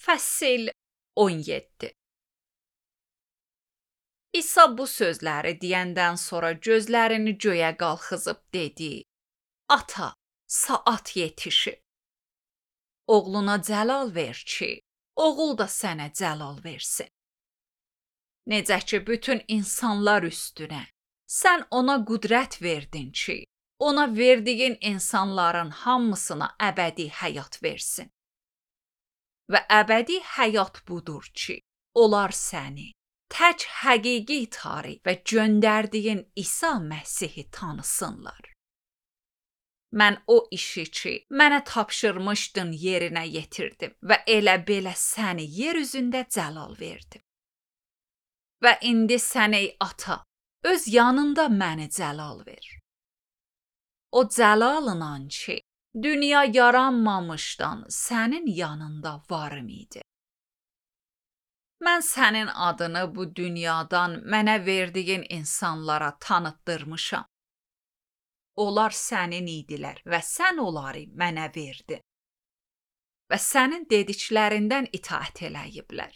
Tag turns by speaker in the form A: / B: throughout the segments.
A: Fəsil 17. İsa bu sözləri deyəndən sonra gözlərini göyə qalxızıb dedi: Ata, saat yetişib. Oğluna cəlal ver ki, oğul da sənə cəlal versin. Necə ki, bütün insanlar üstünə, sən ona qüdrət verdin ki, ona verdiyin insanların hamısına əbədi həyat versin. Və əbədi həyat budur ki, onlar səni, tək həqiqi tarix və göndərdiyin İsa Məsihi tanısınlar. Mən o işi ki, mənə tapşırmışdın yerinə yetirdim və elə belə səni yer üzündə cəlal verdim. Və indi sən ey ata, öz yanında məni cəlal ver. O cəlalından ki, dünya yaranmamışdan sənin yanında varım idi. Mən sənin adını bu dünyadan mənə verdiyin insanlara tanıtdırmışam. Onlar sənin idilər və sən onları mənə verdin. Və sənin dediklərindən itaət eləyiblər.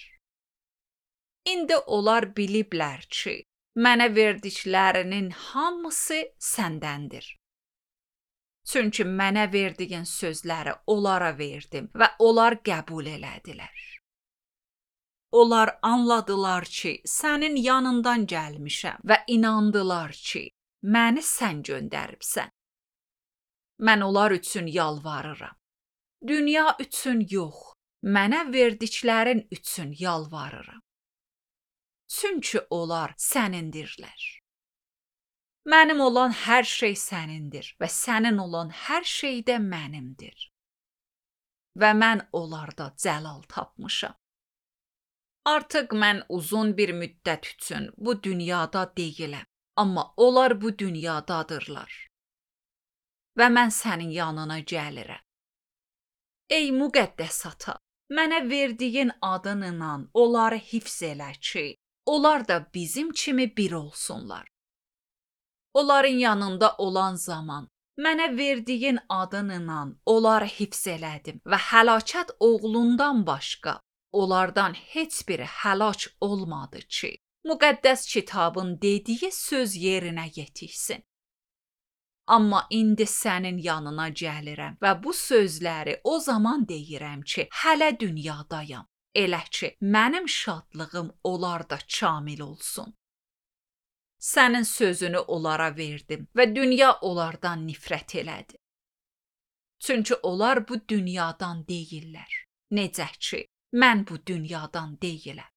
A: İndi onlar biliblər ki, mənə verdiklərinin hamısı səndəndir. Çünki mənə verdiyin sözləri onlara verdim və onlar qəbul elədilər. Onlar anladılar ki, sənin yanından gəlmişəm və inandılar ki, məni sən göndəribsən. Mən onlar üçün yalvarıram. Dünya üçün yox, mənə verdiklərin üçün yalvarıram. Çünki onlar sənindirlər. Mənim olan hər şey sənindir və sənin olan hər şey də mənimdir. Və mən onlarda cəlal tapmışam. Artıq mən uzun bir müddət üçün bu dünyada deyiləm, amma onlar bu dünyadadırlar. Və mən sənin yanına gəlirəm. Ey müqəddəs ata, mənə verdiyin adınla onları hifz elə ki, onlar da bizim kimi bir olsunlar. Onların yanında olan zaman mənə verdiyin adınla onları hifz elədim və həlakət oğlundan başqa onlardan heç biri həlak olmadı ki, müqəddəs kitabın dediyi söz yerinə yetişsin. Amma indi sənin yanına gəlirəm və bu sözləri o zaman deyirəm ki, hələ dünyadayam. Elə ki, mənim şadlığım onlarda kamil olsun. Sənin sözünü onlara verdim və dünya onlardan nifrət elədi. Çünki onlar bu dünyadan deyirlər. Necə ki, mən bu dünyadan deyiləm.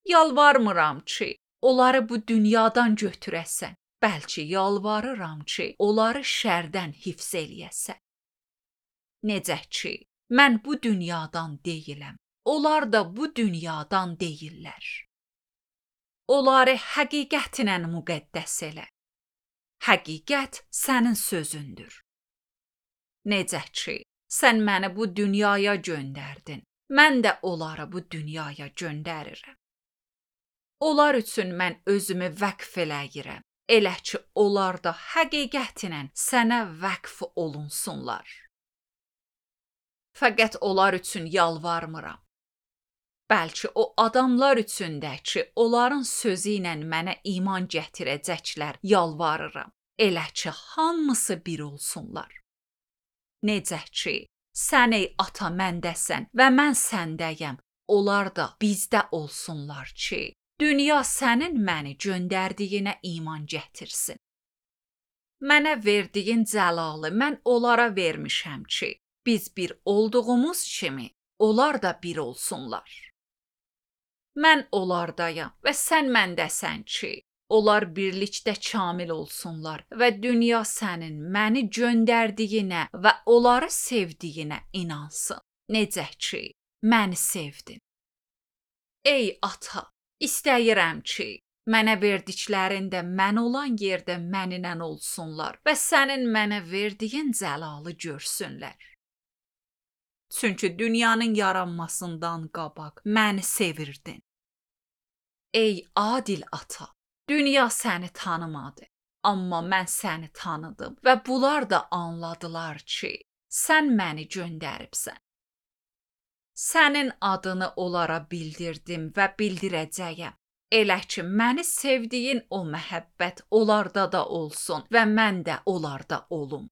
A: Yalvarmıram ki, onları bu dünyadan götürəsən, bəlkə yalvarıram ki, onları şərdən hifz eləyəsən. Necə ki, mən bu dünyadan deyiləm, onlar da bu dünyadan deyirlər. Onları həqiqətlə müqəddəs elə. Həqiqət sənin sözündür. Necə ki, sən məni bu dünyaya göndərdin, mən də onları bu dünyaya göndərirəm. Onlar üçün mən özümü vəqf eləyirəm, elə ki, onlar da həqiqətlə sənə vəqf olunsunlar. Fəqət onlar üçün yalvarmıram. Bəlkə o adamlar üçün də ki, onların sözü ilə mənə iman gətirəcəklər, yalvarıram. Elə ki, hamısı bir olsunlar. Necə ki, sən ey ata məndəsən və mən səndəyəm, onlar da bizdə olsunlar ki, dünya sənin məni göndərdiyinə iman gətirsin. Mənə verdiyin cəlalı mən onlara vermişəm ki, biz bir olduğumuz kimi, onlar da bir olsunlar. Mən onlardayam və sən məndəsən ki, onlar birlikdə kamil olsunlar və dünya sənin məni göndərdiyinə və onları sevdiyinə inansın. Necə ki, məni sevdin. Ey ata, istəyirəm ki, mənə verdiklərin də mən olan yerdə mənimlə olsunlar və sənin mənə verdiyin cəlalı görsünlər. Çünki dünyanın yaranmasından qabaq məni sevirdin. Ey adil ata, dünya səni tanımadı, amma mən səni tanıdım və bunlar da anladılar ki, sən məni göndəribsən. Sənin adını onlara bildirdim və bildirəcəyəm. Elə ki, məni sevdiyin o məhəbbət onlarda da olsun və mən də onlarda olum.